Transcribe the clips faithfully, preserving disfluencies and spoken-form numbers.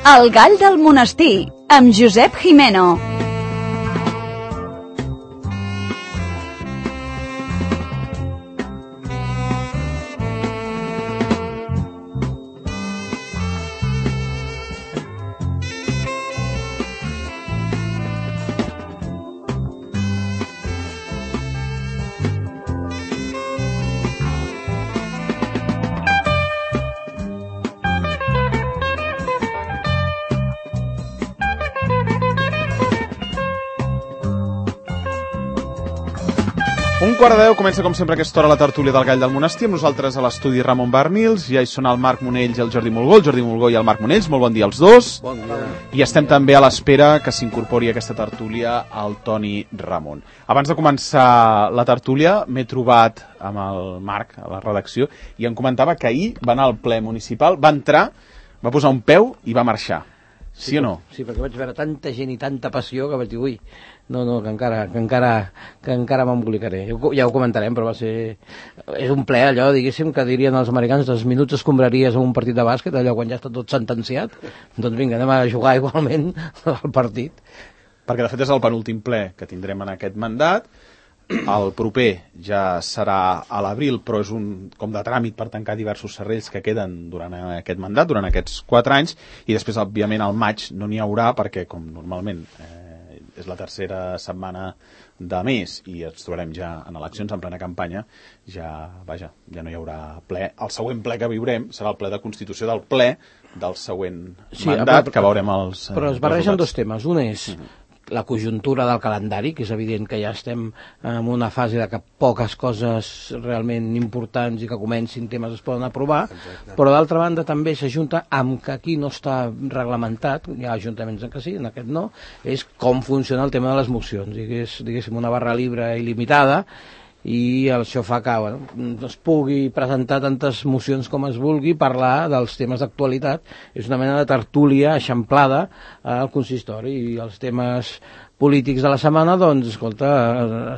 El gall del monestir, amb Josep Jimeno. Un quart de deu comença com sempre a aquesta hora la tertúlia del Gall del Monestir, amb nosaltres a l'estudi Ramon Barnils, ja hi són el Marc Monells i el Jordi Mulgó, el Jordi Mulgó i el Marc Monells, molt bon dia als dos. Bon dia. I estem també a l'espera que s'incorpori a aquesta tertúlia el Toni Ramon. Abans de començar la tertúlia m'he trobat amb el Marc a la redacció i em comentava que ahir va anar al ple municipal, va entrar, va posar un peu i va marxar. Sí, sí o no? Sí, perquè vaig veure tanta gent i tanta passió que vaig dir, ui, no, no, que encara, que encara, que encara m'embolicaré. Ja ho comentarem, però va ser... És un ple, allò, diguéssim, que dirien els americans, dos minuts escombraries en un partit de bàsquet, allò quan ja està tot sentenciat. Doncs vinga, anem a jugar igualment al partit. Perquè, de fet, és el penúltim ple que tindrem en aquest mandat. El proper ja serà a l'abril, però és un com de tràmit per tancar diversos serrells que queden durant aquest mandat, durant aquests quatre anys, i després, òbviament, al maig no n'hi haurà, perquè, com normalment eh, és la tercera setmana de mes i ens trobarem ja en eleccions, en plena campanya, ja, vaja, ja no hi haurà ple. El següent ple que viurem serà el ple de constitució del ple del següent sí, mandat, però, que veurem els eh, Però es barregen resultats. dos temes. Un és... Uh-huh. La conjuntura del calendari, que és evident que ja estem en una fase de que poques coses realment importants i que comencin temes es poden aprovar. Exacte. Però d'altra banda també s'ajunta amb que aquí no està reglamentat, hi ha ajuntaments en què sí, en aquest no, és com funciona el tema de les mocions, digués, diguéssim una barra libre il·limitada, i això fa que bueno, es pugui presentar tantes mocions com es vulgui, parlar dels temes d'actualitat. És una mena de tertúlia eixamplada al consistori, i els temes polítics de la setmana, doncs, escolta,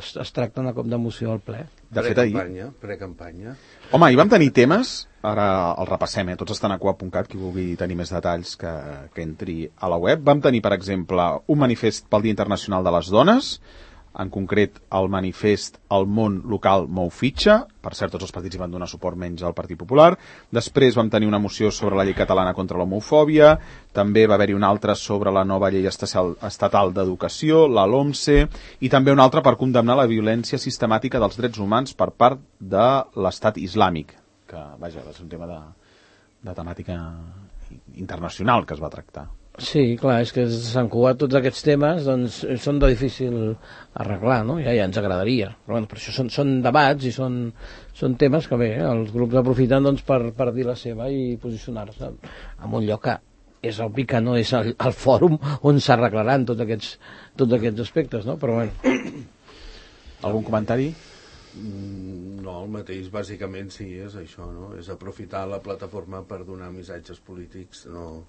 es, es tracten a cop de moció al ple. De fet, ahir... Pre-campanya, pre-campanya. Home, hi vam tenir temes, ara els repassem, eh? Tots estan a coa punt cat, qui vulgui tenir més detalls que, que entri a la web. Vam tenir, per exemple, un manifest pel Dia Internacional de les Dones, en concret el manifest El món local mou fitxa. Per cert, tots els partits hi van donar suport menys al Partit Popular. Després vam tenir una moció sobre la llei catalana contra l'homofòbia, també va haver-hi una altra sobre la nova llei estatal d'educació, la LOMCE, i també una altra per condemnar la violència sistemàtica dels drets humans per part de l'estat islàmic, que, vaja, va ser un tema de, de temàtica internacional que es va tractar. Sí, clar, és que s'han cuat tots aquests temes, doncs són de difícil arreglar, no? Ja, ja ens agradaria. Però bueno, per això són, són debats i són, són temes que bé, els grups aprofiten doncs, per, per dir la seva i posicionar-se en un lloc que és obvi que no és el, el fòrum on s'arreglaran tots aquests, tots aquests aspectes, no? Però bueno. Algun comentari? No, el mateix, bàsicament sí, és això, no? És aprofitar la plataforma per donar missatges polítics, no...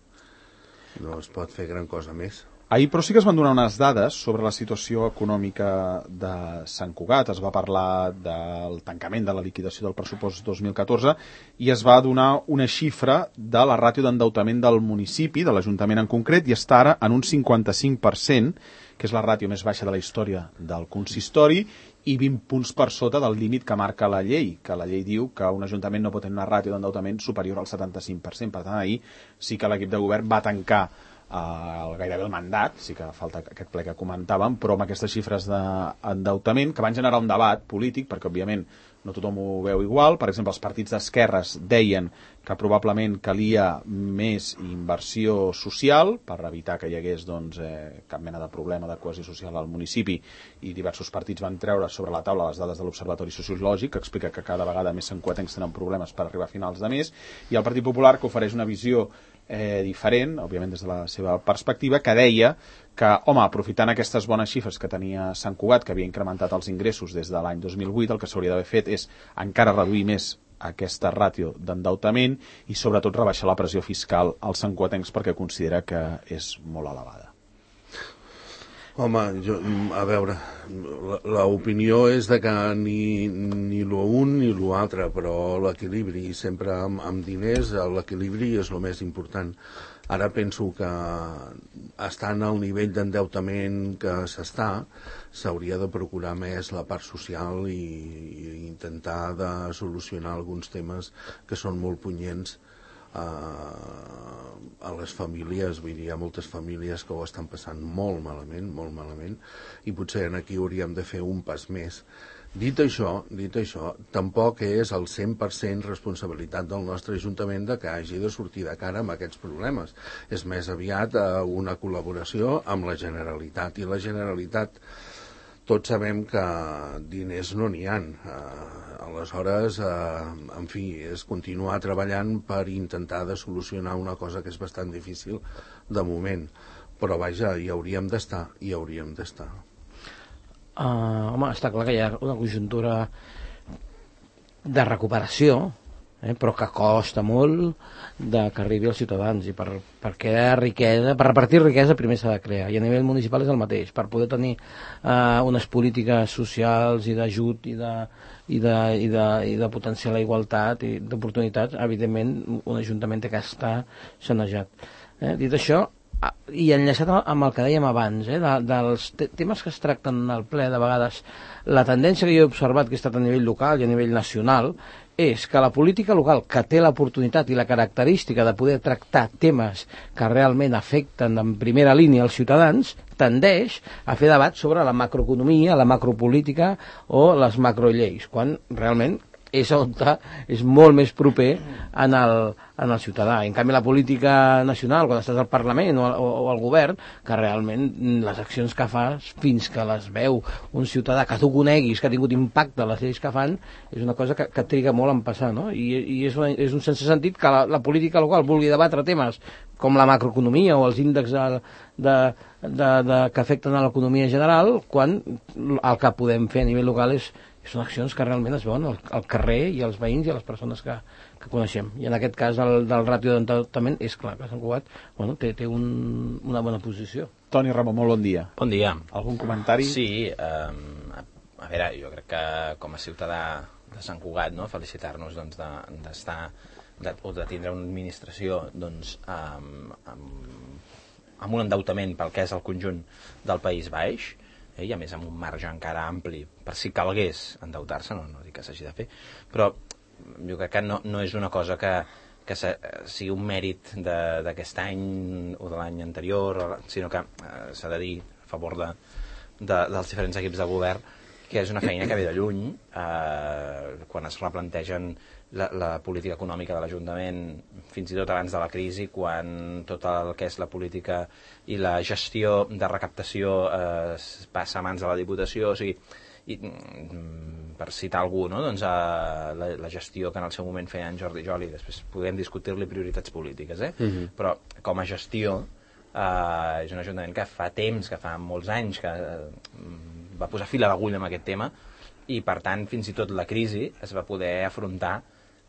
No es pot fer gran cosa més. Ahir, però sí que es van donar unes dades sobre la situació econòmica de Sant Cugat. Es va parlar del tancament de la liquidació del pressupost dos mil catorze i es va donar una xifra de la ràtio d'endeutament del municipi, de l'Ajuntament en concret, i està ara en un cinquanta-cinc per cent, que és la ràtio més baixa de la història del consistori, i vint punts per sota del límit que marca la llei, que la llei diu que un ajuntament no pot tenir una ràtio d'endeutament superior al setanta-cinc per cent. Per tant, ahir sí que l'equip de govern va tancar eh, gairebé el mandat, sí que falta aquest ple que comentàvem, però amb aquestes xifres d'endeutament que van generar un debat polític, perquè òbviament no tothom ho veu igual. Per exemple, els partits d'esquerres deien que probablement calia més inversió social per evitar que hi hagués doncs, eh, cap mena de problema de cohesió social al municipi, i diversos partits van treure sobre la taula les dades de l'Observatori Sociològic, que explica que cada vegada més santcugatencs tenen problemes per arribar a finals de mes, i el Partit Popular, que ofereix una visió eh, diferent, òbviament des de la seva perspectiva, que deia que, home, aprofitant aquestes bones xifres que tenia Sant Cugat, que havia incrementat els ingressos des de l'any dos mil vuit, el que s'hauria d'haver fet és encara reduir més aquesta ràtio d'endeutament i sobretot rebaixar la pressió fiscal als santcugatencs, perquè considera que és molt elevada. Home, jo, a veure, l'opinió és de que ni, ni l'un ni l'altre, però l'equilibri, sempre amb, amb diners, l'equilibri és el més important. Ara penso que estant al nivell d'endeutament que s'està, s'hauria de procurar més la part social i, i intentar de solucionar alguns temes que són molt punyents a, a les famílies. Vull dir, hi ha moltes famílies que ho estan passant molt malament, molt malament, i potser aquí hauríem de fer un pas més. Dit això, dit això, tampoc és el cent per cent responsabilitat del nostre Ajuntament de que hagi de sortir de cara amb aquests problemes. És més aviat una col·laboració amb la Generalitat, i la Generalitat tots sabem que diners no n'hi ha. Aleshores, en fi, és continuar treballant per intentar de solucionar una cosa que és bastant difícil de moment. Però vaja, hi hauríem d'estar, hi hauríem d'estar. Uh, home, està clar que hi ha una conjuntura de recuperació, eh, però que costa molt de que arribi als ciutadans, i per, per crear riquesa, per repartir riquesa primer s'ha de crear, i a nivell municipal és el mateix. Per poder tenir uh, unes polítiques socials i d'ajut i de, i de, i de, i de potenciar la igualtat i d'oportunitats, evidentment un ajuntament té que estar sanejat. Eh? Dit això, i enllaçat amb el que dèiem abans, eh, de, dels te temes que es tracten al ple, de vegades la tendència que jo he observat, que ha estat a nivell local i a nivell nacional, és que la política local, que té l'oportunitat i la característica de poder tractar temes que realment afecten en primera línia als ciutadans, tendeix a fer debat sobre la macroeconomia, la macropolítica o les macrolleis, quan realment és on és molt més proper en el, en el ciutadà. En canvi, la política nacional, quan estàs al Parlament o, o, o al govern, que realment les accions que fas, fins que les veu un ciutadà que tu coneguis, que ha tingut impacte a les lleis que fan, és una cosa que, que triga molt en passar, no? I, i és, una, és un sense sentit que la, la política local vulgui debatre temes com la macroeconomia o els índexs de, de, de, de, que afecten a l'economia general, quan el que podem fer a nivell local és són accions que realment es veuen al, al carrer i als veïns i a les persones que, que coneixem. I en aquest cas el, del ràtio d'endeutament és clar que Sant Cugat bueno, té, té un, una bona posició. Toni Ramon, molt bon dia. Bon dia. Algun comentari? Sí, um, a, a veure, jo crec que com a ciutadà de Sant Cugat, no, felicitar-nos doncs, d'estar de, o de tindre una administració doncs, amb, amb, amb un endeutament pel que és el conjunt del País Baix, eh, i a més amb un marge encara ampli per si calgués endeutar-se, no, no dic que s'hagi de fer, però jo crec que no, no és una cosa que, que se, sigui un mèrit d'aquest any o de l'any anterior, sinó que eh, s'ha de dir a favor de, de, dels diferents equips de govern que és una feina que ve de lluny, eh, quan es replantegen la, la política econòmica de l'Ajuntament, fins i tot abans de la crisi, quan tot el que és la política i la gestió de recaptació eh, passa a mans de la Diputació, o sigui, i, per citar algú, no? Doncs, eh, la, la gestió que en el seu moment feia en Jordi Joli, després podem discutir-li prioritats polítiques, eh? Uh-huh. Però com a gestió eh, és un ajuntament que fa temps, que fa molts anys que eh, va posar fil a l'agulla amb aquest tema, i per tant fins i tot la crisi es va poder afrontar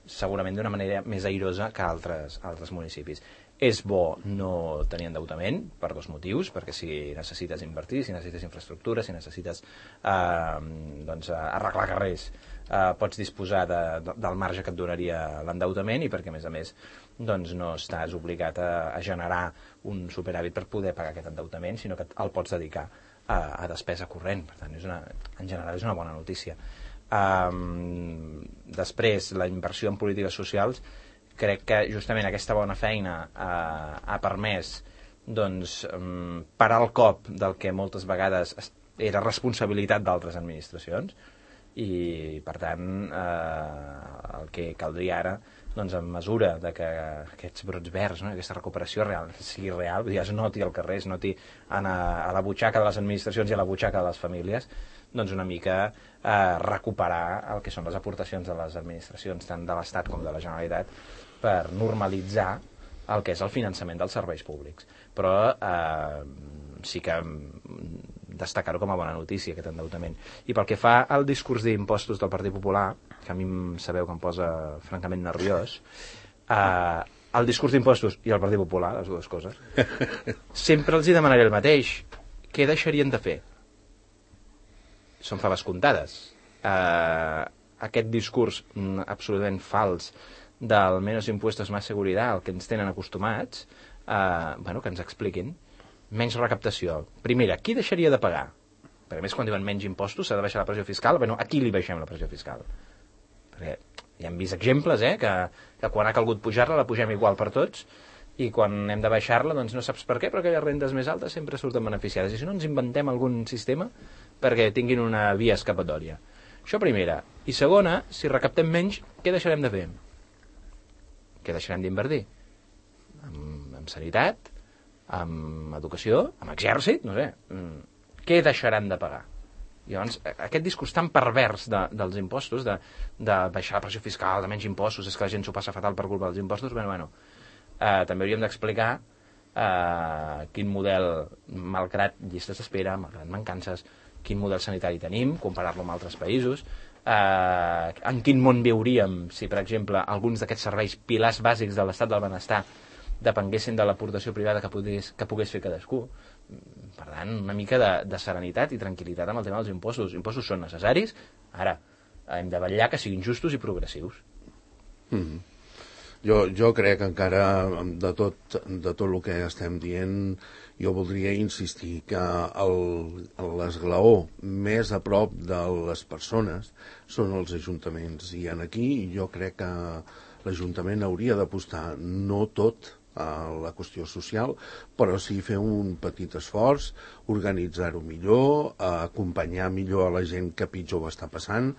segurament d'una manera més airosa que altres, altres municipis. És bo no tenir endeutament per dos motius, perquè si necessites invertir, si necessites infraestructura, si necessites eh, doncs, arreglar carrers, eh, pots disposar de, de, del marge que et donaria l'endeutament, i perquè a més a més doncs, no estàs obligat a, a generar un superàvit per poder pagar aquest endeutament, sinó que el pots dedicar a, a despesa corrent. Per tant, és una, en general és una bona notícia. Um, després, la inversió en polítiques socials, crec que justament aquesta bona feina uh, ha permès doncs, um, parar el cop del que moltes vegades era responsabilitat d'altres administracions, i per tant uh, el que caldria ara, doncs, en mesura de que aquests brots verds, no, aquesta recuperació real, sigui real, es noti al carrer, es noti a, a la butxaca de les administracions i a la butxaca de les famílies, doncs una mica eh, recuperar el que són les aportacions de les administracions, tant de l'Estat com de la Generalitat, per normalitzar el que és el finançament dels serveis públics. Però eh, sí que destacar-ho com a bona notícia, aquest endeutament. I pel que fa al discurs d'impostos del Partit Popular, que a mi sabeu que em posa francament nerviós, eh, el discurs d'impostos i el Partit Popular, les dues coses, sempre els hi demanaré el mateix, què deixarien de fer? Són faves comptades. Eh, aquest discurs mm, absolutament fals del menos impuestos más seguridad, al que ens tenen acostumats, eh, bueno, que ens expliquin. Menys recaptació. Primera, qui deixaria de pagar? Perquè a més, quan diuen menys impostos, s'ha de baixar la pressió fiscal. Bueno, a qui li baixem la pressió fiscal? Perquè ja hem vist exemples, eh, que, que quan ha calgut pujar-la, la pugem igual per tots, i quan hem de baixar-la, doncs no saps per què, però aquelles rendes més altes sempre surten beneficiades. I si no, ens inventem algun sistema perquè tinguin una via escapatòria. Això primera. I segona, si recaptem menys, què deixarem de fer? Què deixarem d'invertir? En, en sanitat, en educació, en exèrcit, no sé. Què deixaran de pagar? I llavors, aquest discurs tan pervers de, dels impostos, de, de baixar la pressió fiscal, de menys impostos, és que la gent s'ho passa fatal per culpa dels impostos, bueno, bueno, eh, també hauríem d'explicar eh, quin model, malgrat llistes d'espera, malgrat mancances, quin model sanitari tenim, comparar-lo amb altres països, eh, en quin món viuríem si, per exemple, alguns d'aquests serveis pilars bàsics de l'estat del benestar depenguessin de l'aportació privada que pogués, que pogués fer cadascú. Per tant, una mica de, de serenitat i tranquil·litat amb el tema dels impostos. Els impostos són necessaris, ara hem de vetllar que siguin justos i progressius. Mm-hmm. Jo, jo crec que encara de tot, de tot el que estem dient, jo voldria insistir que l'esglaó més a prop de les persones són els ajuntaments, i en aquí jo crec que l'Ajuntament hauria d'apostar no tot a la qüestió social, però sí fer un petit esforç, organitzar-ho millor, acompanyar millor a la gent que pitjor ho està passant.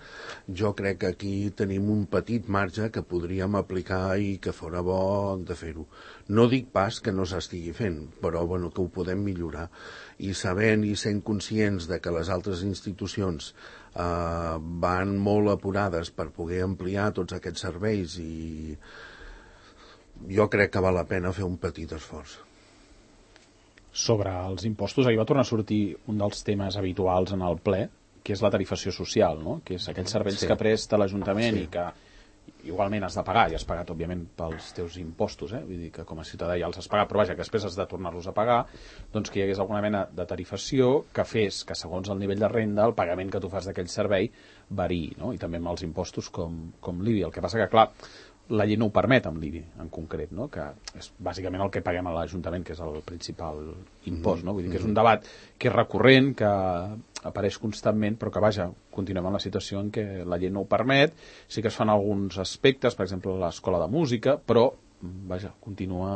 Jo crec que aquí tenim un petit marge que podríem aplicar i que fora bo de fer-ho. No dic pas que no s'estigui fent, però bueno, que ho podem millorar. I sabent i sent conscients de que les altres institucions eh, van molt apurades per poder ampliar tots aquests serveis, i jo crec que val la pena fer un petit esforç. Sobre els impostos, ahir va tornar a sortir un dels temes habituals en el ple, que és la tarifació social, no? Que és aquells serveis sí. que presta l'Ajuntament sí. i que igualment has de pagar, i has pagat, òbviament, pels teus impostos, eh? Vull dir que com a ciutadà ja els has pagat, però vaja, que després has de tornar-los a pagar, doncs que hi hagués alguna mena de tarifació que fes que, segons el nivell de renda, el pagament que tu fas d'aquell servei variï, no? I també amb els impostos com, com l'I B I. El que passa que, clar, la llei no ho permet amb l'I B I en concret, no? Que és bàsicament el que paguem a l'Ajuntament, que és el principal impost, no? Vull dir que és un debat que és recurrent, que apareix constantment, però que, vaja, continuem en la situació en què la llei no ho permet. Sí que es fan alguns aspectes, per exemple l'escola de música, però, vaja, continua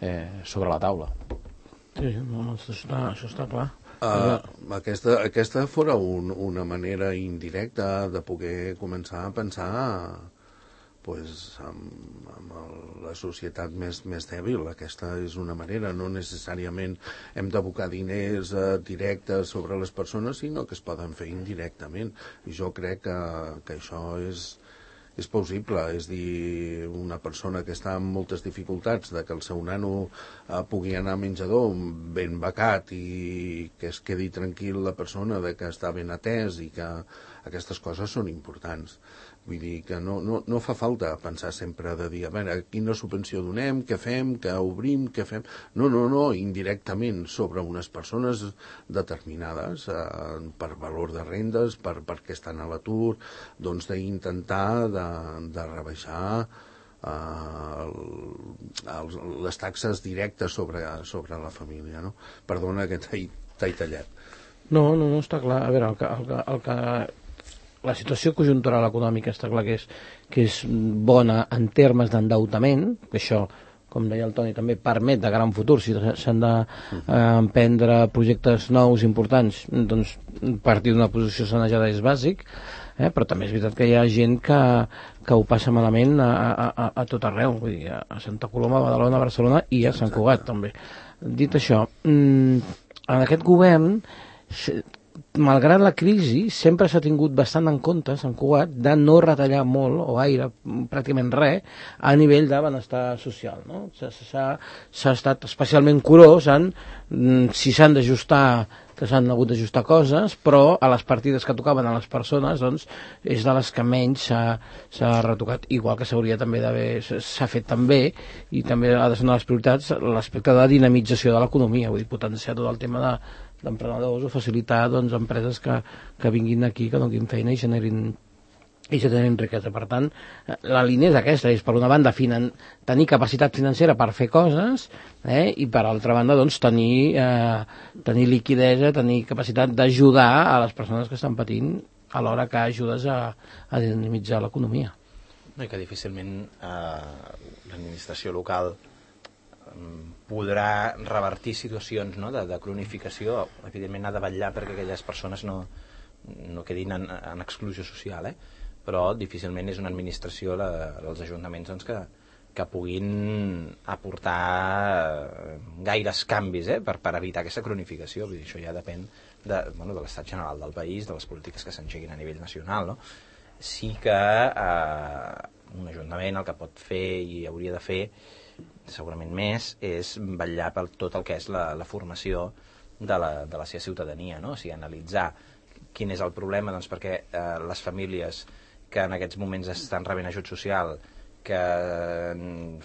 eh, sobre la taula. Sí, no, això està, això està clar. Uh, aquesta, aquesta fora un, una manera indirecta de poder començar a pensar pues, amb, amb el, la societat més, més dèbil. Aquesta és una manera, no necessàriament hem d'abocar diners eh, directes sobre les persones, sinó que es poden fer indirectament, i jo crec que, que això és, és possible. És dir, una persona que està amb moltes dificultats de que el seu nano eh, pugui anar a menjador ben becat i que es quedi tranquil la persona de que està ben atès, i que aquestes coses són importants. Vull dir que no, no, no fa falta pensar sempre de dir, a veure, quina subvenció donem, què fem, què obrim, què fem... No, no, no, indirectament sobre unes persones determinades, eh, per valor de rendes, per, perquè estan a l'atur, doncs d'intentar de, de rebaixar eh, el, les taxes directes sobre, sobre la família, no? Perdona que t'he tallat. No, no, no, està clar. A veure, el que... El que, el que... La situació conjuntural econòmica està clar que és, que és bona en termes d'endeutament, que això, com deia el Toni, també permet de gran futur, si s'han d'emprendre eh, projectes nous, importants, doncs partir d'una posició sanejada és bàsic, eh? Però també és veritat que hi ha gent que, que ho passa malament a, a, a tot arreu, vull dir, a Santa Coloma, a Badalona, a Barcelona i a Sant Cugat també. Dit això, en aquest govern, malgrat la crisi, sempre s'ha tingut bastant en compte, Sant Cugat, de no retallar molt, o gaire, pràcticament res, a nivell de benestar social, no? S'ha estat especialment curós en si s'han d'ajustar, que s'han hagut d'ajustar coses, però a les partides que tocaven a les persones, doncs, és de les que menys s'ha retocat, igual que s'hauria també d'haver, s'ha fet també, i també ha de ser una de les prioritats, l'aspecte de dinamització de l'economia, vull dir, potenciar tot el tema de d'emprenedors o facilitar doncs, empreses que, que vinguin aquí, que donin feina i generin i generin riquesa. Per tant, la línia és aquesta, és per una banda finan tenir capacitat financera per fer coses eh, i per altra banda doncs, tenir, eh, tenir liquidesa, tenir capacitat d'ajudar a les persones que estan patint alhora que ajudes a, a dinamitzar l'economia. No, i que difícilment eh, l'administració local podrà revertir situacions no, de, de cronificació. Evidentment ha de vetllar perquè aquelles persones no, no quedin en, en exclusió social, eh? Però difícilment és una administració, la, els ajuntaments, doncs, que, que puguin aportar gaires canvis eh, per, per evitar aquesta cronificació. Vull dir, això ja depèn de, bueno, de l'estat general del país, de les polítiques que s'engeguin a nivell nacional. No? Sí que eh, un ajuntament el que pot fer i hauria de fer segurament més és vetllar per tot el que és la, la formació de la, de la seva ciutadania, no? O sigui, analitzar quin és el problema, doncs, perquè eh, les famílies que en aquests moments estan rebent ajut social, que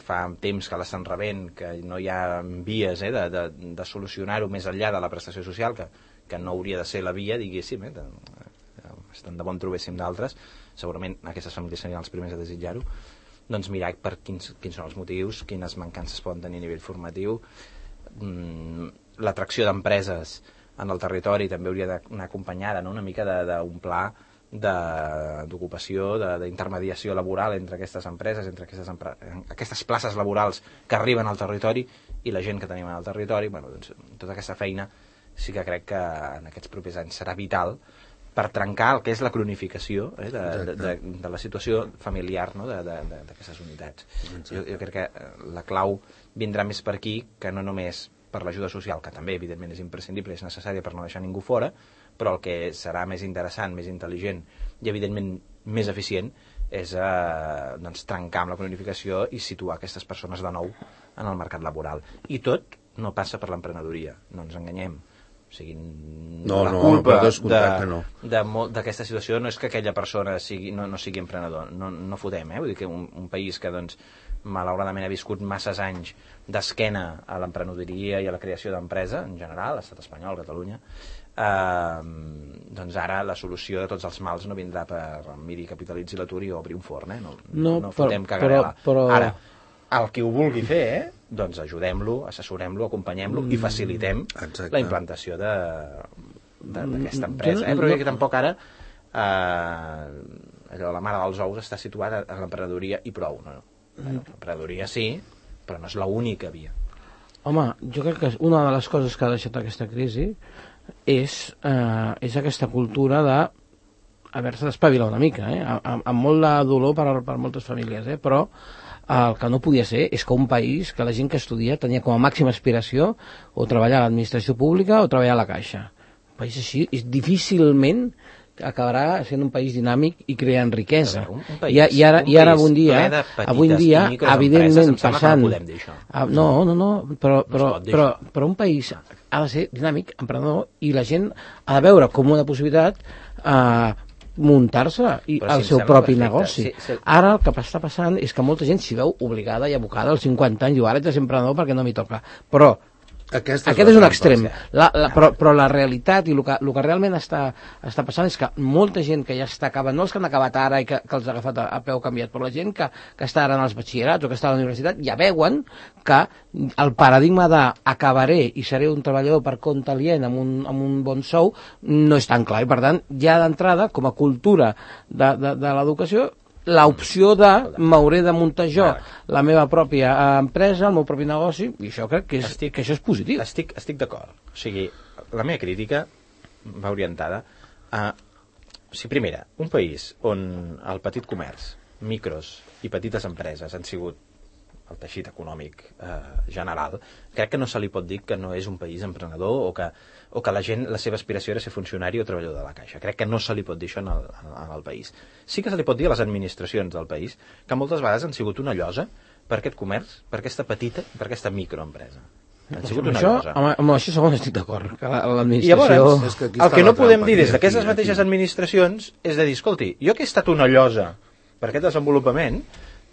fa temps que l'estan rebent, que no hi ha vies eh, de, de, de solucionar-ho més enllà de la prestació social, que, que no hauria de ser la via, diguéssim, eh, de, estan de bon trobéssim d'altres, segurament aquestes famílies serien els primers a desitjar-ho, doncs mirar per quins, quins són els motius, quines mancances poden tenir a nivell formatiu. Mm, l'atracció d'empreses en el territori també hauria d'anar acompanyada, no? Una mica d'un pla d'ocupació, d'intermediació laboral entre aquestes empreses, entre aquestes, empre aquestes places laborals que arriben al territori i la gent que tenim al territori. Bueno, doncs, tota aquesta feina sí que crec que en aquests propers anys serà vital per trencar el que és la cronificació eh, de, de, de, de la situació familiar no? d'aquestes unitats. Jo, jo crec que la clau vindrà més per aquí que no només per l'ajuda social, que també evidentment és imprescindible i és necessària per no deixar ningú fora, però el que serà més interessant, més intel·ligent i evidentment més eficient és eh, doncs, trencar amb la cronificació i situar aquestes persones de nou en el mercat laboral. I tot no passa per l'emprenedoria, no ens enganyem. O sigui, no, la no, culpa no. d'aquesta situació no és que aquella persona sigui, no, no sigui emprenedor, no, no fotem, eh? Vull dir que un, un país que doncs, malauradament ha viscut masses anys d'esquena a l'emprenedoria i a la creació d'empresa, en general, l'estat espanyol, Catalunya, eh, doncs ara la solució de tots els mals no vindrà per miri, capitalitzi l'atur i obri un forn, eh? No, no, no fotem cagarela. Però... Ara, el que ho vulgui fer, eh? Doncs ajudem-lo, assessorem-lo, acompanyem-lo mm. i facilitem Exacte. La implantació d'aquesta empresa. Eh? Però no, que tampoc ara eh, allò, la mare dels ous està situada a l'emprenedoria i prou. No? Bueno, l'emprenedoria sí, però no és l'única via. Home, jo crec que una de les coses que ha deixat aquesta crisi és, eh, és aquesta cultura de haver-se d'espavilar una mica, eh? amb, amb molt de dolor per, per moltes famílies, eh? Però el que no podia ser és que un país que la gent que estudia tenia com a màxima aspiració o treballar a l'administració pública o treballar a la caixa. Un país així és difícilment acabarà sent un país dinàmic i creant riquesa. Un, un país, I, i ara, i ara avui en dia, avui en dia evidentment passant... No, no, no, no però, però, però, però un país ha de ser dinàmic, emprenedor, i la gent ha de veure com una possibilitat eh, muntar-se i el si seu propi perfecte. Negoci. Sí, sí. Ara el que està passant és que molta gent s'hi veu obligada i abocada als cinquanta anys, diu ara ets de ser emprenedor perquè no m'hi toca. Però Aquesta aquest és, és un extrem, la, la, però, però la realitat i el que, el que realment està, està passant és que molta gent que ja està acabant, no els que han acabat ara i que, que els ha agafat a, a peu canviat, però la gent que, que està ara en els batxillerats o que està a la universitat ja veuen que el paradigma d'acabaré i seré un treballador per compte alient amb un, amb un bon sou no és tan clar i per tant ja d'entrada com a cultura de, de, de l'educació l'opció de m'hauré de muntar jo la meva pròpia empresa, el meu propi negoci, i això crec que, és, estic, que això és positiu. Estic, estic d'acord. O sigui, la meva crítica va orientada a... O sigui, primera, un país on el petit comerç, micros i petites empreses han sigut el teixit econòmic eh, general, crec que no se li pot dir que no és un país emprenedor o que, o que la gent, la seva aspiració era ser funcionari o treballador de la caixa. Crec que no se li pot dir això en el, en el país. Sí que se li pot dir a les administracions del país que moltes vegades han sigut una llosa per aquest comerç, per aquesta petita, per aquesta microempresa. Han sigut una això, llosa. Amb, amb això segon estic d'acord. L'administració... I llavors, que el que no podem dir des d'aquestes mateixes administracions és de dir, escolti, jo que he estat una llosa per aquest desenvolupament,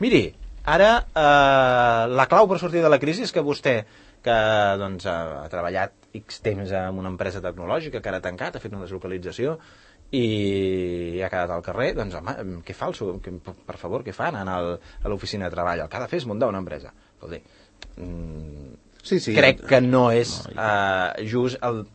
miri, Ara, eh, la clau per sortir de la crisi és que vostè, que doncs, ha, ha treballat X temps en una empresa tecnològica, que ara ha tancat, ha fet una deslocalització i ha quedat al carrer, doncs home, què fa el seu, per favor, què fan a l'oficina de treball? El que ha de fer és muntar una empresa. Escolti, mm, sí, sí, crec que no és eh, just el,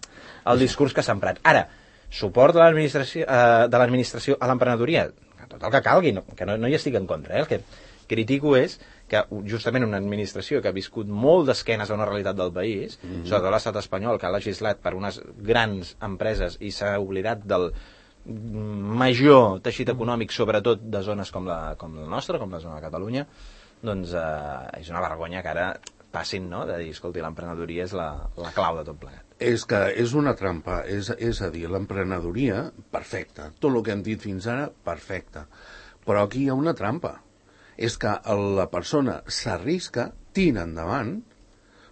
el discurs que s'ha emprat. Ara, suport de l'administració eh, de l'administració a l'emprenedoria, tot el que calgui, no, que no, no hi estic en contra, eh? El que critico és que justament una administració que ha viscut molt d'esquenes a una realitat del país, mm-hmm. sobretot l'estat espanyol, que ha legislat per unes grans empreses i s'ha oblidat del major teixit econòmic, sobretot de zones com la, com la nostra, com la zona de Catalunya, doncs eh, és una vergonya que ara passin, no?, de dir, escolti, l'emprenedoria és la, la clau de tot plegat. És que és una trampa, és, és a dir, l'emprenedoria, perfecta, tot el que hem dit fins ara, perfecte, però aquí hi ha una trampa. És que la persona s'arrisca, tira endavant,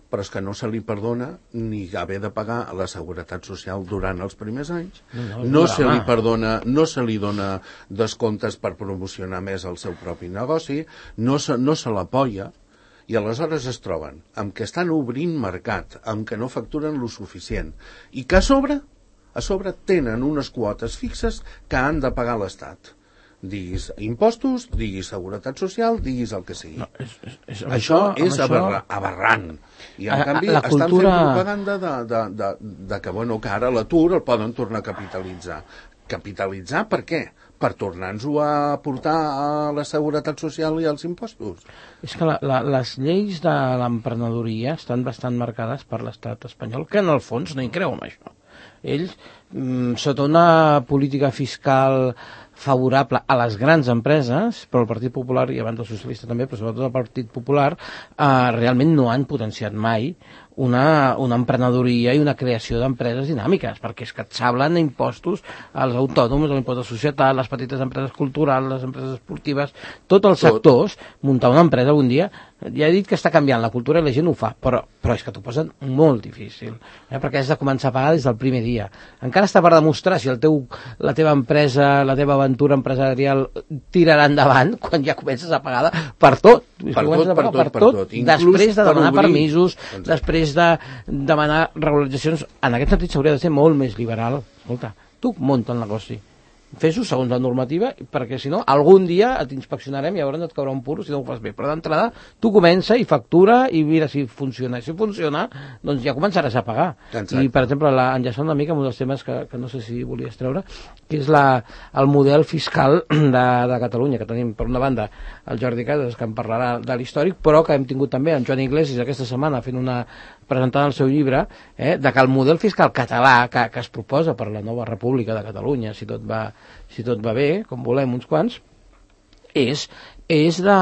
però és que no se li perdona ni haver de pagar la seguretat social durant els primers anys, no, no, no se li perdona, no se li dona descomptes per promocionar més el seu propi negoci, no se, no se l'apoya, i aleshores es troben amb que estan obrint mercat, amb que no facturen lo suficient, i que a sobre, a sobre tenen unes quotes fixes que han de pagar l'Estat. Diguis impostos, diguis seguretat social, diguis el que sigui. No, és, és, és, això és això... Aberra, aberrant. I en a, canvi a, estan cultura... fent propaganda de, de, de, de que, bueno, que ara l'atur el poden tornar a capitalitzar. Capitalitzar per què? Per tornar-nos-ho a portar a la seguretat social i als impostos. És que la, la, les lleis de l'emprenedoria estan bastant marcades per l'estat espanyol, que en el fons no hi creu en això. Ells, mm, sota una política fiscal favorable a les grans empreses, però el Partit Popular, i abans el socialista també, però sobretot el Partit Popular, eh, realment no han potenciat mai una, una emprenedoria i una creació d'empreses dinàmiques, perquè és que et sablen impostos als autònoms, l'impost de societat, les petites empreses culturals, les empreses esportives, tots els sectors, muntar una empresa un dia, ja he dit que està canviant la cultura i la gent ho fa, però, però és que t'ho posen molt difícil, eh, perquè has de començar a pagar des del primer dia. Encara està per demostrar si el teu, la teva empresa, la teva aventura empresarial tirarà endavant quan ja comences a pagar per tot. Per tot, per tot, per tot. Després de demanar permisos, després de demanar regularitzacions. En aquest sentit s'hauria de ser molt més liberal. Escolta, tu munta el negoci, fes-ho segons la normativa, perquè si no, algun dia et inspeccionarem i llavors et caurà un puro si no ho fas bé. Però d'entrada, tu comença i factura i mira si funciona. Si funciona, doncs ja començaràs a pagar. Exacte. I, per exemple, la, enllaçant una mica amb un dels temes que, que no sé si volies treure, que és la, el model fiscal de, de Catalunya, que tenim, per una banda, el Jordi Casas, que en parlarà de l'històric, però que hem tingut també en Joan Iglesias aquesta setmana fent una presentant el seu llibre, eh, de que el model fiscal català que, que es proposa per la nova República de Catalunya, si tot va, si tot va bé, com volem uns quants, és, és de,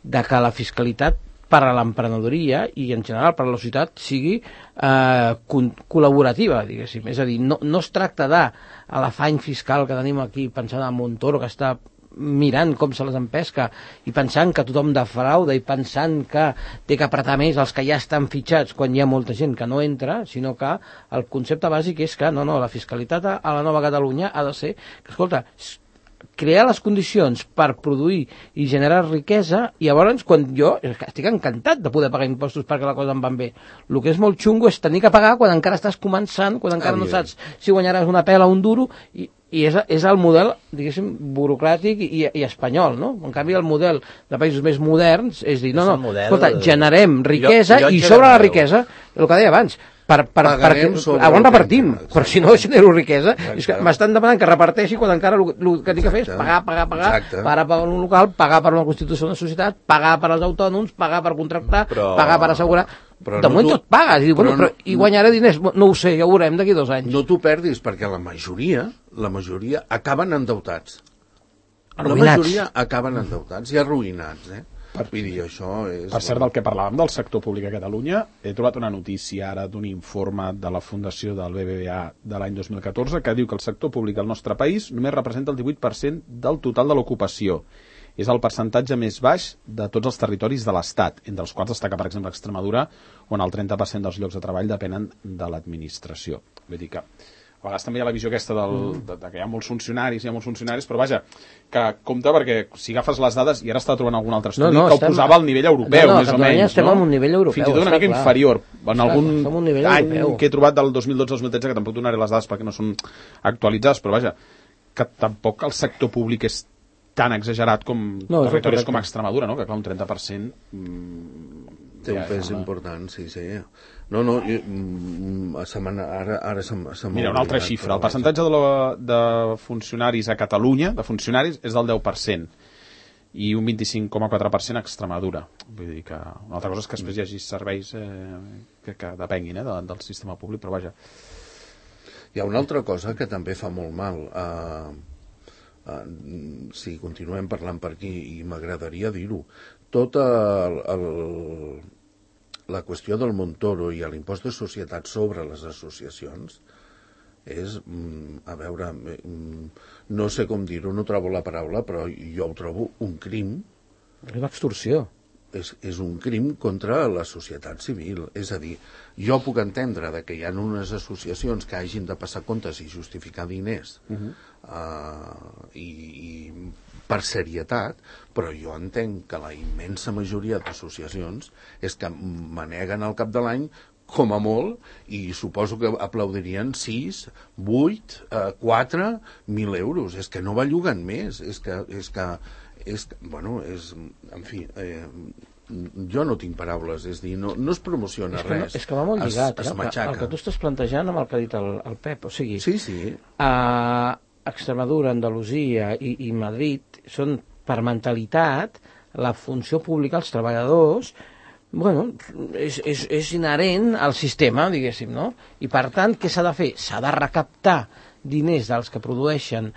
de que la fiscalitat per a l'emprenedoria i en general per a la societat sigui eh, col·laborativa, diguéssim. És a dir, no, no es tracta de l'afany fiscal que tenim aquí pensant en Montoro, que està mirant com se les empesca i pensant que tothom defrauda i pensant que té que apretar més els que ja estan fitxats quan hi ha molta gent que no entra, sinó que el concepte bàsic és que no, no, la fiscalitat a la nova Catalunya ha de ser que, escolta, crear les condicions per produir i generar riquesa, i llavors quan jo estic encantat de poder pagar impostos perquè la cosa em van bé. El que és molt xungo és tenir que pagar quan encara estàs començant, quan encara no saps si guanyaràs una pela o un duro, i i és, és el model, diguéssim, burocràtic i, i espanyol, no? En canvi, el model de països més moderns és dir, no, no, model... escolta, generem riquesa jo, jo i sobre la riquesa, el que deia abans, per, per, perquè, on repartim, però si no genero riquesa, exacte. És que m'estan demanant que reparteixi quan encara el, el que tinc que fer és pagar, pagar, pagar, exacte. Pagar per un local, pagar per una constitució d'una societat, pagar per als autònoms, pagar per contractar, però... pagar per assegurar. Però de no moment tu... tot pagues, i, bueno, però, però, i guanyaré diners, no ho sé, ja ho veurem d'aquí dos anys. No t'ho perdis, perquè la majoria, la majoria acaben endeutats. Arruïnats. La majoria acaben endeutats i arruïnats, eh? Per, dir, això és per cert, del que parlàvem del sector públic a Catalunya, he trobat una notícia ara d'un informe de la Fundació del B B V A de l'any dos mil catorze que diu que el sector públic al nostre país només representa el divuit per cent del total de l'ocupació. És el percentatge més baix de tots els territoris de l'Estat, entre els quals destaca, per exemple, Extremadura, on el trenta per cent dels llocs de treball depenen de l'administració. Vull dir que vegades també hi ha la visió aquesta del, de, de que hi ha molts funcionaris, hi ha molts funcionaris, però vaja, que compte perquè si agafes les dades, i ara està trobant algun altre estudi, no, no, que ho posava al nivell europeu, no, no, més o menys. Estem no? en un nivell europeu. Fins i tot una mica clar. inferior. En clar, algun any europeu. Que he trobat del dos mil dotze al dos mil tretze, que tampoc donaré les dades perquè no són actualitzades, però vaja, que tampoc el sector públic és tan exagerat com no, territoris com Extremadura, no? Que clar, un trenta per cent... Mmm, té un pes important, sí, sí. No, no, jo, ara, ara se m'ha... Mira, una altra xifra. El percentatge de, la, de funcionaris a Catalunya, de funcionaris, és del deu per cent i un vint-i-cinc coma quatre per cent a Extremadura. Vull dir que una altra cosa és que després hi hagi serveis eh, que, que depenguin eh, de, del sistema públic, però vaja. Hi ha una altra cosa que també fa molt mal. Uh, uh, si continuem parlant per aquí, i m'agradaria dir-ho, tota el, el, la qüestió del Montoro i l'impost de societat sobre les associacions és, a veure, no sé com dir-ho, no trobo la paraula, però jo ho trobo un crim. És una extorsió. És, és un crim contra la societat civil. És a dir, jo puc entendre de que hi ha unes associacions que hagin de passar comptes i justificar diners uh-huh. uh, i, i per serietat, però jo entenc que la immensa majoria d'associacions és que maneguen al cap de l'any com a molt, i suposo que aplaudirien sis, vuit, quatre mil euros. És que no belluguen més. És que, és que, és que bueno, és, en fi, eh, jo no tinc paraules, és dir, no, no es promociona és que res. No, és que va molt lligat, es, es eh, el, que, el que tu estàs plantejant amb el que ha dit el, el Pep, o sigui... Sí, sí. A Extremadura, Andalusia i, i Madrid són, per mentalitat, la funció pública, els treballadors... Bueno, és, és, és inherent al sistema, diguéssim, no? I per tant, què s'ha de fer? S'ha de recaptar diners dels que produeixen,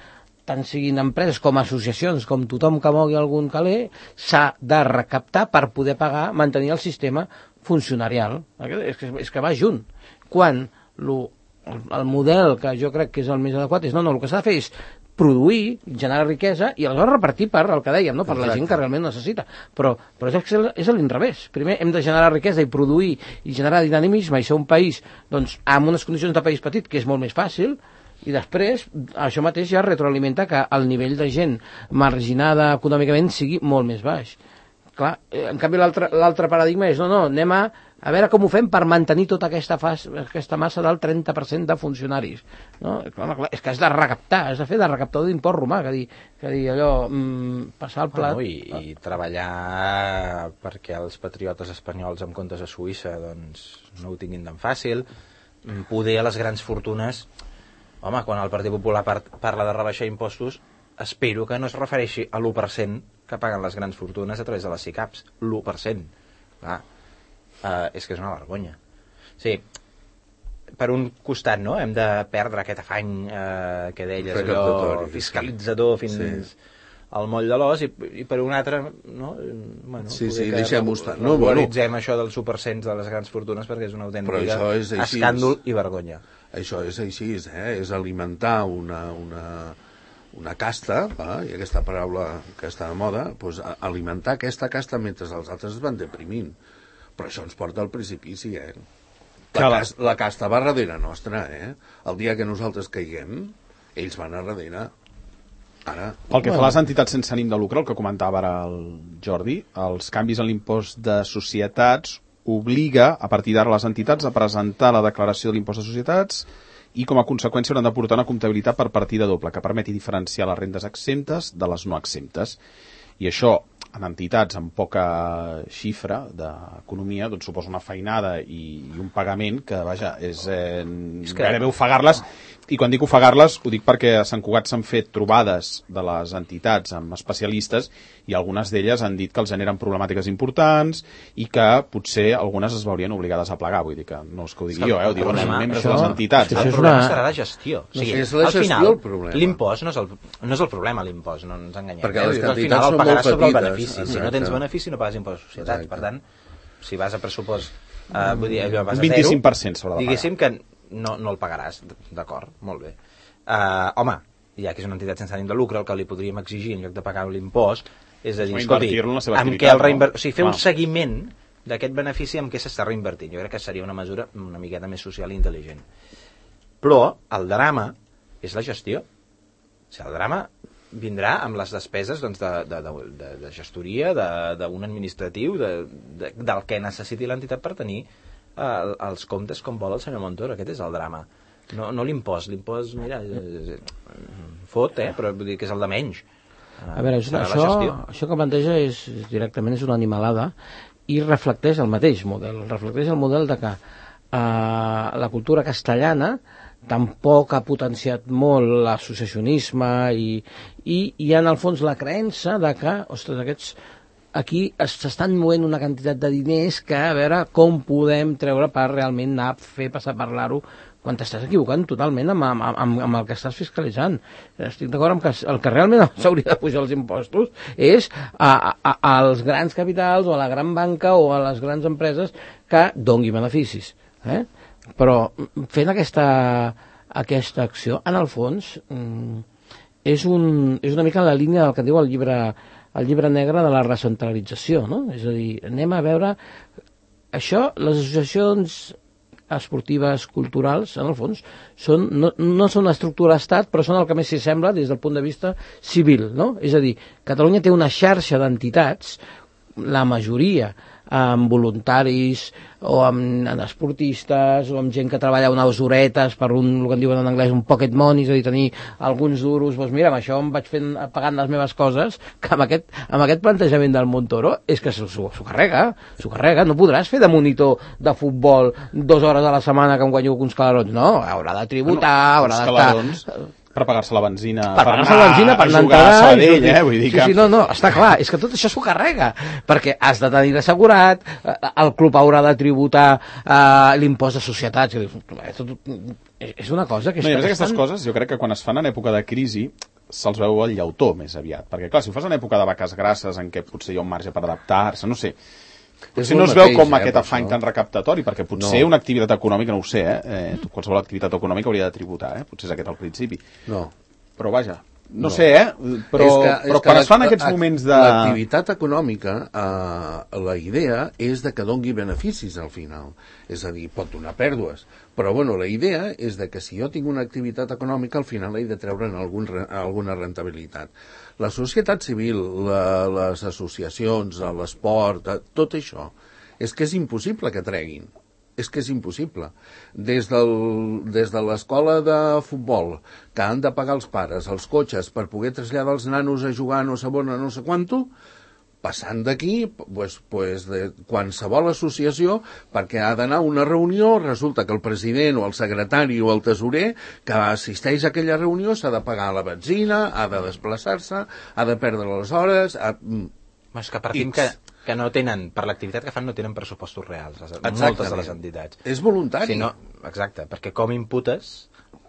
tant siguin empreses com associacions, com tothom que mogui algun caler, s'ha de recaptar per poder pagar, mantenir el sistema funcionarial. És que, és que va junt. Quan lo, el, el model que jo crec que és el més adequat és, no, no, el que s'ha de fer és produir, generar riquesa i aleshores repartir per el que dèiem, no? Per Exacte. La gent que realment necessita. Però, però és, és a l'inrevés. Primer hem de generar riquesa i produir i generar dinamisme i ser un país doncs, amb unes condicions de país petit, que és molt més fàcil, i després això mateix ja retroalimenta que el nivell de gent marginada econòmicament sigui molt més baix. Clar, en canvi l'altre paradigma és, no, no, anem a a veure com ho fem per mantenir tota aquesta, fas, aquesta massa del trenta per cent de funcionaris. No? Clar, clar, és que has de recaptar, has de fer de recaptador d'import romà, que dir, que dir allò, mm, passar el plat... Bueno, i, i treballar perquè els patriotes espanyols amb comptes a Suïssa doncs, no ho tinguin tan fàcil, poder a les grans fortunes... Home, quan el Partit Popular par parla de rebaixar impostos, espero que no es refereixi a l'u per cent que paguen les grans fortunes a través de les SICAPs. l'u per cent. Clar, Uh, és que és una vergonya. Sí, per un costat, no?, hem de perdre aquest afany uh, que deies, allò fiscalitzador fins sí. al moll de l'os, i, i per un altre, no? Bueno, sí, sí, deixem-ho estar. No, regularitzem bueno. això dels u per cent de les grans fortunes perquè és una autèntica és escàndol i vergonya. Això és així, eh? És alimentar una... una... una casta, va, i aquesta paraula que està de moda, doncs, alimentar aquesta casta mentre els altres es van deprimint. Però això ens porta al precipici, eh? La, cas, la casta va darrere nostra, eh? El dia que nosaltres caiguem, ells van a darrere. Ara... Pel que fa a les entitats sense ànim de lucre, el que comentava ara el Jordi, els canvis en l'impost de societats obliga, a partir d'ara, les entitats a presentar la declaració de l'impost de societats i, com a conseqüència, hauran de portar una comptabilitat per partida doble, que permeti diferenciar les rendes exemptes de les no exemptes. I això, en entitats amb poca xifra d'economia, doncs suposa una feinada i, i un pagament que, vaja, és, eh, és que... gairebé ofegar-les. I quan dic ofegar-les, ho dic perquè a Sant Cugat s'han fet trobades de les entitats amb especialistes i algunes d'elles han dit que els generen problemàtiques importants i que potser algunes es veurien obligades a plegar. Vull dir que no és que ho digui jo, eh? Ho diuen els membres de les entitats. El problema serà la gestió. O sigui, no, és la al gestió final, el problema. L'impost no, és el, no és el problema, l'impost, no ens enganyem. Perquè les eh? entitats al final són el pagaràs molt sobre el petites. benefici. Exacte. Si no tens benefici no pagues impost de societats. Exacte. Per tant, si vas a pressupost, uh, vull dir, allò vas a zero, vint-i-cinc per cent s'haurà de pagar. Diguéssim que no, no el pagaràs, d'acord, molt bé. Uh, home, ja que és una entitat sense ànim de lucre, el que li podríem exigir en lloc de pagar l'impost és a dir, escolti, amb què el reinver... o sigui, fer un seguiment d'aquest benefici amb què s'està reinvertint. Jo crec que seria una mesura una miqueta més social i intel·ligent. Però el drama és la gestió. O sigui, el drama vindrà amb les despeses doncs, de, de, de, de gestoria, d'un administratiu, de, de, del que necessiti l'entitat per tenir eh, els comptes com vol el senyor Montoro. Aquest és el drama. No, no l'impost. L'impost, mira, fot, eh? Però vull dir que és el de menys. A veure, això, això, això que planteja és, directament és una animalada i reflecteix el mateix model. Reflecteix el model de que eh, la cultura castellana tampoc ha potenciat molt l'associacionisme i, i hi ha en el fons la creença de que, ostres, aquests aquí s'estan movent una quantitat de diners que a veure com podem treure per realment anar a fer passar a parlar-ho quan t'estàs equivocant totalment amb, amb, amb, amb el que estàs fiscalitzant. Estic d'acord amb que el que realment s'hauria de pujar els impostos és a, a, als grans capitals o a la gran banca o a les grans empreses que dongui beneficis. Eh? Però fent aquesta, aquesta acció, en el fons, és, un, és una mica la línia del que diu el llibre, el llibre negre de la recentralització, no? És a dir, anem a veure això, les associacions esportives, culturals, en el fons, són, no, no són una estructura d'estat, però són el que més s'hi sembla des del punt de vista civil, no? És a dir, Catalunya té una xarxa d'entitats, la majoria amb voluntaris o amb, amb esportistes o amb gent que treballa unes horetes per un, el que en diuen en anglès, un pocket money, és a dir, tenir alguns duros, doncs mira, amb això em vaig fent, pagant les meves coses, que amb aquest, amb aquest plantejament del Montoro és que s'ho carrega, s'ho carrega, no podràs fer de monitor de futbol dues hores a la setmana que em guanyo uns calarons, no, haurà de tributar, bueno, haurà d'estar... per pagar-se la benzina, per, per pagar-se la benzina, per anar a Sabadell, eh? Vull dir que... Sí, sí, no, no, està clar, és que tot això s'ho carrega, perquè has de tenir assegurat, el club haurà de tributar eh, l'impost de societats, és una cosa que... No, i a més aquestes coses, jo crec que quan es fan en època de crisi, se'ls veu el llautó més aviat, perquè clar, si ho fas en època de vaques grasses, en què potser hi ha un marge per adaptar-se, no sé... Potser no es veu com aquest afany tan recaptatori, perquè potser una activitat econòmica, no ho sé, eh? Qualsevol activitat econòmica hauria de tributar, eh? Potser és aquest al principi. No. Però vaja, no sé, eh? Però, però quan es fan aquests moments de... L'activitat econòmica, eh, la idea és de que dongui beneficis al final. És a dir, pot donar pèrdues. Però, bueno, la idea és de que si jo tinc una activitat econòmica, al final he de treure'n algun, alguna rentabilitat. La societat civil, la, les associacions, l'esport, tot això, és que és impossible que treguin. És que és impossible. Des, del, des de l'escola de futbol, que han de pagar els pares, els cotxes, per poder traslladar els nanos a jugar no sé on, no sé quanto, passant d'aquí, pues, pues de qualsevol associació, perquè ha d'anar a una reunió, resulta que el president o el secretari o el tesorer que assisteix a aquella reunió s'ha de pagar la benzina, ha de desplaçar-se, ha de perdre les hores... Ha... És que partim que, que no tenen, per l'activitat que fan, no tenen pressupostos reals, les, moltes de les entitats. És voluntari. Si no, exacte, perquè com imputes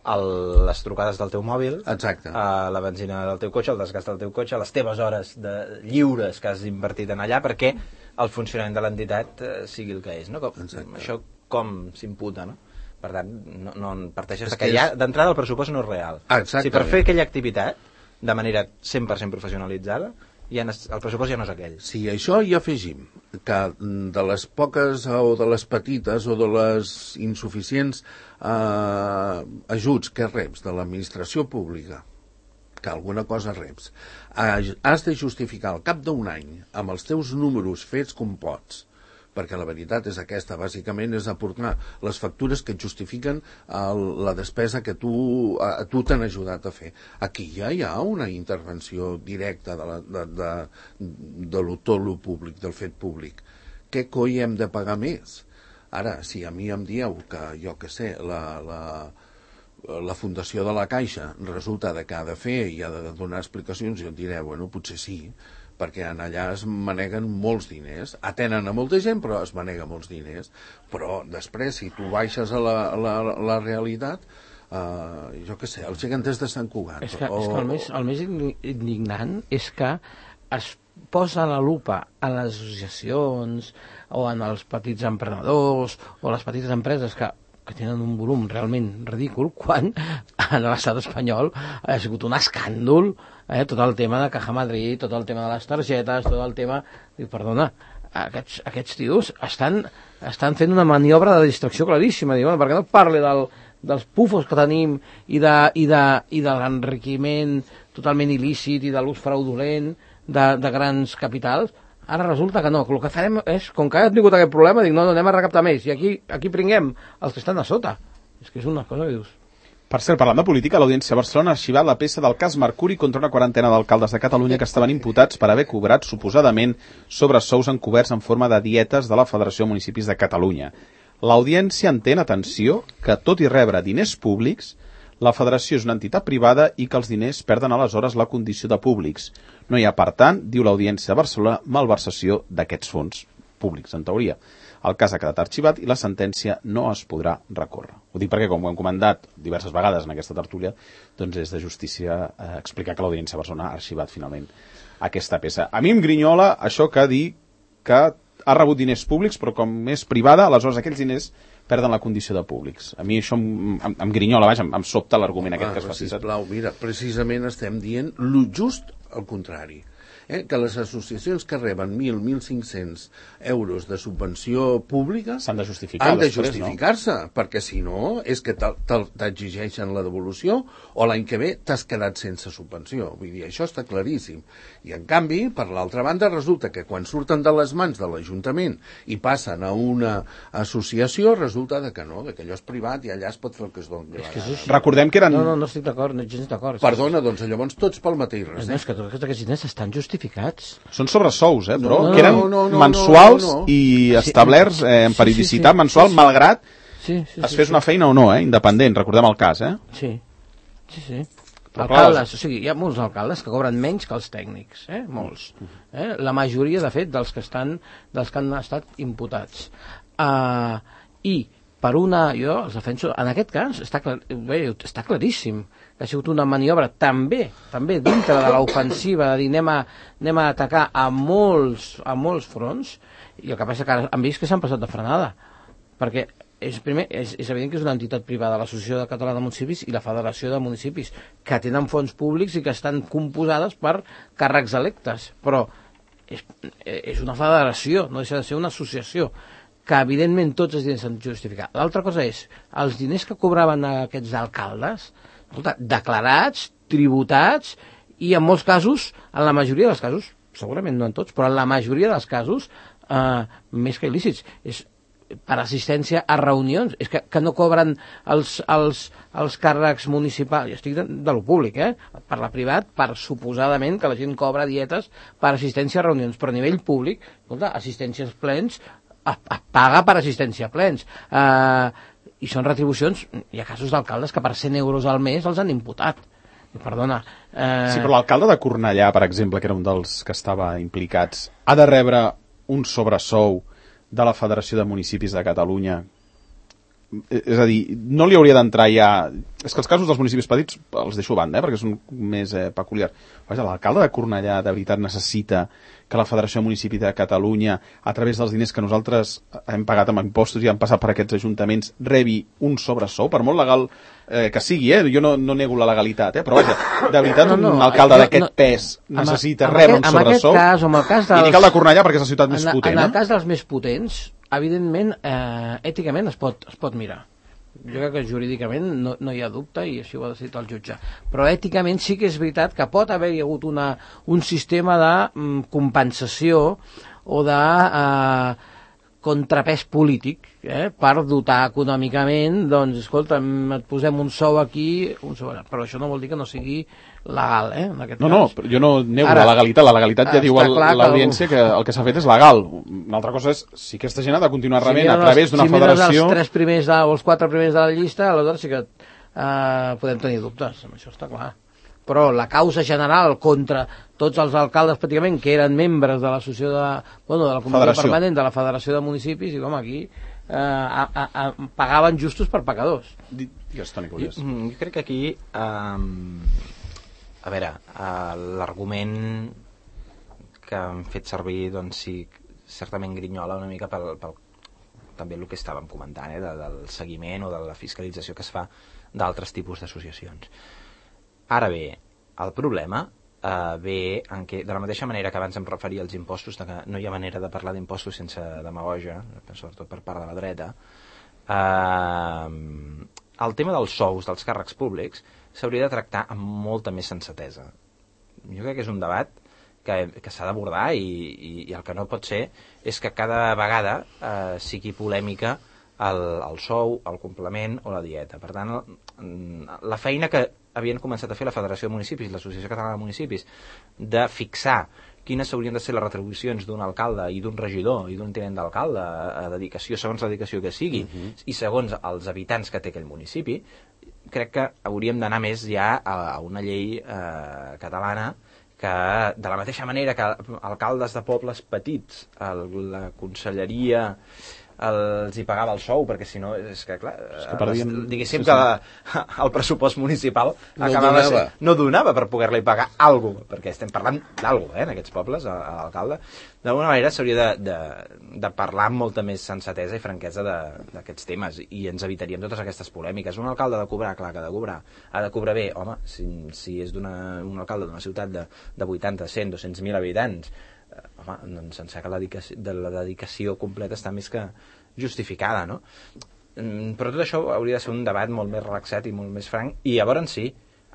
el, les trucades del teu mòbil, exacte. A la benzina del teu cotxe, el desgast del teu cotxe, les teves hores de, lliures que has invertit en allà, perquè el funcionament de l'entitat eh, sigui el que és, no? Com, això com s'imputa, no? Per tant, no, no parteixes de que, que ja d'entrada el pressupost no és real. Exactament. Si per fer aquella activitat de manera cent per cent professionalitzada, ja no, el pressupost ja no és aquell. Sí, això hi afegim, que de les poques o de les petites o de les insuficients eh, ajuts que reps de l'administració pública, que alguna cosa reps, has de justificar al cap d'un any amb els teus números fets com pots, perquè la veritat és aquesta, bàsicament és aportar les factures que et justifiquen el, la despesa que tu, a, tu t'han ajudat a fer. Aquí ja hi ha una intervenció directa de, la, de, de, de lo, tot lo públic, del fet públic. Què coi hem de pagar més? Ara, si a mi em dieu que, jo què sé, la... la la fundació de la Caixa resulta de que ha de fer i ha de donar explicacions, jo et diré, bueno, potser sí, perquè en allà es maneguen molts diners, atenen a molta gent però es manega molts diners, però després si tu baixes a la, a la, a la realitat, uh, jo què sé, els geganters de Sant Cugat és que, o... és que el, més, el més indignant és que es posa la lupa en les associacions o en els petits emprenedors o les petites empreses que que tenen un volum realment ridícul, quan a l'estat espanyol ha sigut un escàndol, eh? Tot el tema de Caja Madrid, tot el tema de les targetes, tot el tema... Diu, perdona, aquests, aquests tios estan, estan fent una maniobra de distracció claríssima. Diu, bueno, per què no parli del, dels pufos que tenim i de, i de, i de l'enriquiment totalment il·lícit i de l'ús fraudulent de, de grans capitals, ara resulta que no, que el que farem és, com que ha tingut aquest problema, dic, no, no, anem a recaptar més, i aquí, aquí pringuem els que estan a sota. És que és una cosa que dius... Per cert, parlant de política, l'Audiència de Barcelona ha arxivat la peça del cas Mercuri contra una quarantena d'alcaldes de Catalunya que estaven imputats per haver cobrat suposadament sobresous encoberts en forma de dietes de la Federació de Municipis de Catalunya. L'Audiència entén, atenció, que tot i rebre diners públics, la Federació és una entitat privada i que els diners perden aleshores la condició de públics. No hi ha, per tant, diu l'Audiència de Barcelona, malversació d'aquests fons públics, en teoria. El cas ha quedat arxivat i la sentència no es podrà recórrer. Ho dic perquè, com ho hem comentat diverses vegades en aquesta tertúlia, doncs és de justícia eh, explicar que l'Audiència de Barcelona ha arxivat finalment aquesta peça. A mi em grinyola això que dir que ha rebut diners públics, però com és privada, aleshores aquells diners perden la condició de públics. A mi això em, em, em grinyola, vaja, em, em sobta l'argument aquest ah, que es fa. Sisplau, mira, precisament estem dient lo just al contrari. Eh, que les associacions que reben mil, mil cinc-cents euros de subvenció pública s'han de justificar, han de justificar-se, no? Perquè si no és que t'exigeixen la devolució o l'any que ve t'has quedat sense subvenció. Vull dir, això està claríssim. I en canvi, per l'altra banda, resulta que quan surten de les mans de l'Ajuntament i passen a una associació, resulta de que no, de que allò és privat i allà es pot fer el que es doni. És que és Recordem que eren... No, no, no estic d'acord, no gens d'acord. Perdona, doncs llavors tots pel mateix res. No, és que tots aquests diners estan justificats. Són sobresous, eh, però, no, que eren no, no, no, mensuals no, no, no. i establerts eh, en periodicitat sí, sí, sí. mensual, sí, sí. malgrat sí, sí, es fes sí, una feina o no, eh, independent, recordem el cas, eh? Sí, sí, sí. Alcaldes, o sigui, hi ha molts alcaldes que cobren menys que els tècnics, eh? Molts. Eh? La majoria, de fet, dels que estan, dels que han estat imputats. Uh, I per una, jo els defenso, en aquest cas està, clar, bé, està claríssim que ha sigut una maniobra també, també dintre de l'ofensiva de dir anem a, anem a atacar a molts, a molts fronts, i el que passa que han vist que s'han passat de frenada, perquè és, primer, és, és evident que és una entitat privada, l'Associació Catalana de Municipis i la Federació de Municipis, que tenen fons públics i que estan composades per càrrecs electes, però és, és una federació, no deixa de ser una associació, que evidentment tots els diners s'han de justificar. L'altra cosa és, els diners que cobraven aquests alcaldes, escolta, declarats, tributats, i en molts casos, en la majoria dels casos, segurament no en tots, però en la majoria dels casos, eh, més que il·lícits, és per assistència a reunions, és que, que no cobren els, els, els càrrecs municipals, i estic de, de lo públic, eh? Per la privat, per suposadament que la gent cobra dietes per assistència a reunions, però a nivell públic, escolta, assistències plens, es, es paga per assistència a plens, eh, i són retribucions, hi ha casos d'alcaldes que per cent euros al mes els han imputat. Perdona. Eh... Sí, però l'alcalde de Cornellà, per exemple, que era un dels que estava implicats, ha de rebre un sobresou de la Federació de Municipis de Catalunya. És a dir, no li hauria d'entrar ja... És que els casos dels municipis petits els deixo a banda, eh, perquè són més eh, peculiars. Vaja, l'alcalde de Cornellà de veritat necessita que la Federació de Municipis de Catalunya, a través dels diners que nosaltres hem pagat amb impostos i han passat per aquests ajuntaments, rebi un sobresou, per molt legal eh, que sigui, eh? Jo no, no nego la legalitat, eh? Però vaja, de veritat no, no, un alcalde d'aquest no, pes necessita amb, rebre amb un sobresou. En aquest cas, amb el cas dels... I dic el de Cornellà perquè és la ciutat més en, potent. En el eh? cas dels més potents, evidentment, eh, èticament es pot, es pot mirar. Jo crec que jurídicament no, no hi ha dubte i així ho ha decidit el jutge. Però èticament sí que és veritat que pot haver-hi hagut una, un sistema de mm, compensació o de eh, contrapès polític eh, per dotar econòmicament, doncs, escolta, et posem un sou aquí, un sou allà. Però això no vol dir que no sigui legal, eh, en aquest no, cas. No, però jo no nego Ara, la legalitat. La legalitat ja diu l'audiència que el que s'ha fet és legal. Una altra cosa és si aquesta gent ha de continuar rebent si a través d'una si federació... Si els tres primers de, o els quatre primers de la llista, aleshores sí que eh, podem tenir dubtes, això està clar. Però la causa general contra tots els alcaldes pràcticament que eren membres de l'associació de, bueno, de la comissió Federació. Permanent de la Federació de Municipis, i com aquí eh, a, a, a, pagaven justos per pecadors. Digues, Toni Curiós. Jo, jo crec que aquí eh, a veure, uh, l'argument que han fet servir, doncs sí, certament grinyola una mica pel, pel també el que estàvem comentant, eh, de, del seguiment o de la fiscalització que es fa d'altres tipus d'associacions. Ara bé, el problema uh, ve en què, de la mateixa manera que abans em referia als impostos, de que no hi ha manera de parlar d'impostos sense demagogia, sobretot per part de la dreta, uh, el tema dels sous dels càrrecs públics s'hauria de tractar amb molta més sensatesa. Jo crec que és un debat que, que s'ha d'abordar i, i, i el que no pot ser és que cada vegada eh, sigui polèmica el, el sou, el complement o la dieta. Per tant, la feina que havien començat a fer la Federació de Municipis i l'Associació Catalana de Municipis de fixar quines haurien de ser les retribucions d'un alcalde i d'un regidor i d'un tinent d'alcalde a dedicació, segons la dedicació que sigui, uh-huh. i segons els habitants que té aquell municipi, crec que hauríem d'anar més ja a, a una llei eh, catalana que, de la mateixa manera que alcaldes de pobles petits, el, la conselleria els hi pagava el sou, perquè si no, és que clar, és que perdíem... diguéssim sí, sí. que la, el pressupost municipal no acabava donava. Ser, no donava per poder-li pagar alguna cosa, perquè estem parlant d'alguna cosa, eh, en aquests pobles, a, a l'alcalde. D'alguna manera s'hauria de, de, de parlar amb molta més sensatesa i franquesa d'aquests temes, i ens evitaríem totes aquestes polèmiques. Un alcalde ha de cobrar, clar que ha de cobrar, ha de cobrar bé, home, si, si és un alcalde d'una ciutat de, de vuitanta, cent, dos-cents mil habitants, home, doncs em sembla que la dedicació, de la dedicació completa està més que justificada, no? Però tot això hauria de ser un debat molt més relaxat i molt més franc, i llavors sí,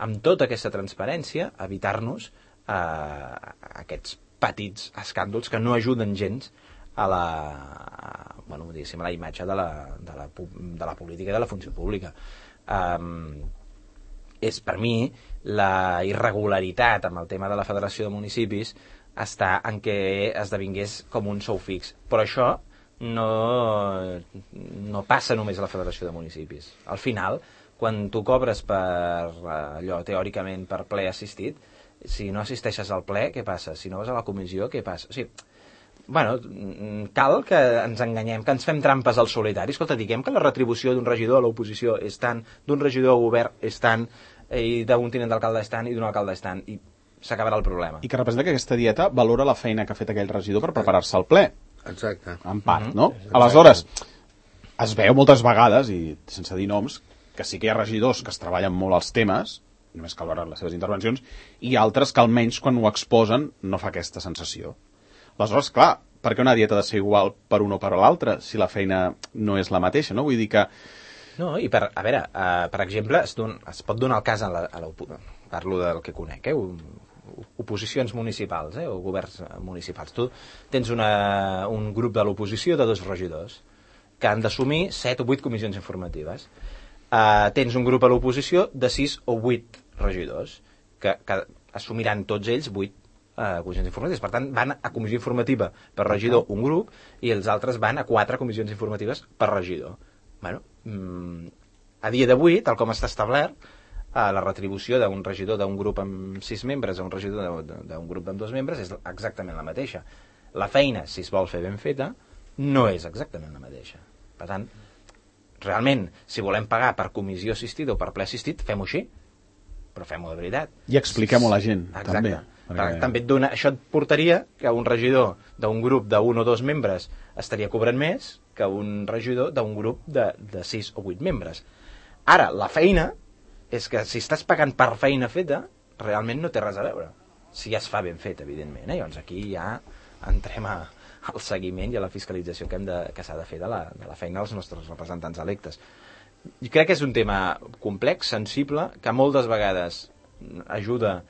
amb tota aquesta transparència, evitar-nos eh, aquests petits escàndols que no ajuden gens a la, a, bueno, diguéssim, a la imatge de la, de, la, de la política i de la funció pública. Um, és per mi la irregularitat amb el tema de la Federació de Municipis està en què esdevingués com un sou fix, però això no, no passa només a la Federació de Municipis. Al final, quan tu cobres per allò, teòricament, per ple assistit, si no assisteixes al ple, què passa? Si no vas a la comissió, què passa? O sigui, bueno, cal que ens enganyem, que ens fem trampes al solitari. Escolta, diguem que la retribució d'un regidor a l'oposició és tant, d'un regidor al govern és tant, i d'un tinent d'alcalde és tant, i d'un alcalde és tant, i s'acabarà el problema. I que representa que aquesta dieta valora la feina que ha fet aquell regidor per preparar-se al ple. Exacte. En part, mm-hmm. no? Exacte. Aleshores, es veu moltes vegades, i sense dir noms, que sí que hi ha regidors que es treballen molt els temes, només cal veure les seves intervencions, i altres que almenys quan ho exposen no fa aquesta sensació. Aleshores, clar, per què una dieta ha de ser igual per un o per l'altre, si la feina no és la mateixa, no? Vull dir que... No, i per, a veure, uh, per exemple, es, don, es pot donar el cas a la, a la, parlo del que conec, eh? Oposicions municipals, eh? O governs municipals. Tu tens una, un grup de l'oposició de dos regidors que han d'assumir set o vuit comissions informatives. Uh, tens un grup a l'oposició de sis o vuit regidors que, que assumiran tots ells vuit Uh, comissions informatives. Per tant, van a comissió informativa per regidor un grup i els altres van a quatre comissions informatives per regidor. Bueno, mm, a dia d'avui, tal com està establert, uh, la retribució d'un regidor d'un grup amb sis membres a un regidor d'un grup amb dos membres és exactament la mateixa. La feina, si es vol fer ben feta, no és exactament la mateixa. Per tant, realment, si volem pagar per comissió assistida o per ple assistit, fem-ho així, però fem-ho de veritat. I expliquem-ho a la gent, exacte. També. Perquè... També et dona, això et portaria que un regidor d'un grup d'un o dos membres estaria cobrant més que un regidor d'un grup de, de sis o vuit membres. Ara, la feina és que si estàs pagant per feina feta, realment no té res a veure. Si ja es fa ben fet, evidentment. Eh? Llavors aquí ja entrem a, al seguiment i a la fiscalització que, hem de, que s'ha de fer de la, de la feina dels nostres representants electes. I crec que és un tema complex, sensible, que moltes vegades ajuda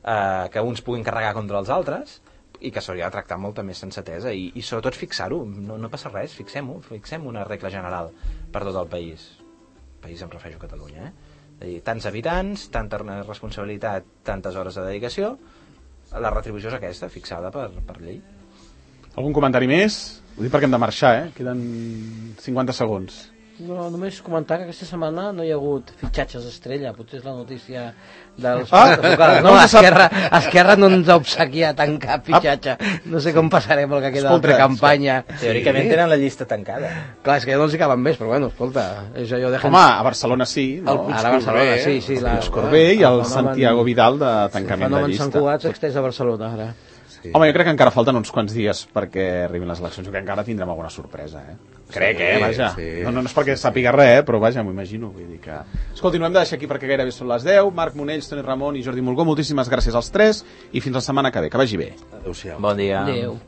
Uh, que uns puguin carregar contra els altres i que s'hauria de tractar amb molta més sensatesa i, i sobretot fixar-ho, no, no passa res, fixem-ho, fixem una regla general per tot el país. El país em refereixo a Catalunya, eh? És a dir, tants habitants, tanta responsabilitat, tantes hores de dedicació, la retribució és aquesta, fixada per, per llei. Algun comentari més? Ho dic perquè hem de marxar, eh? Queden cinquanta segons. No, només comentar que aquesta setmana no hi ha hagut fitxatges estrella, potser és la notícia dels... Ah! No, Esquerra, Esquerra no ens ha obsequiat en cap fitxatge. No sé com passarem el que queda d'altra campanya. Teòricament tenen la llista tancada. Clar, és que ja no els hi caben més, però bueno, escolta... És allò de... Home, a Barcelona sí, no? El, ara a Barcelona, sí, sí. El Puig Corbé i el Santiago Vidal de tancament de llista. El fenomen Sant Cugat s'extès a Barcelona, ara. Sí. Home, jo crec que encara falten uns quants dies perquè arribin les eleccions, jo crec que encara tindrem alguna sorpresa, eh? Crec, sí, eh, vaja. Sí. No, no, no és perquè sàpiga res, eh, però vaja, m'ho imagino. Vull dir que... Escolti, no hem de deixar aquí perquè gairebé són les deu. Marc Monells, Toni Ramon i Jordi Molgó, moltíssimes gràcies als tres i fins la setmana que ve. Que vagi bé. Adéu-siau. Bon dia. Adéu.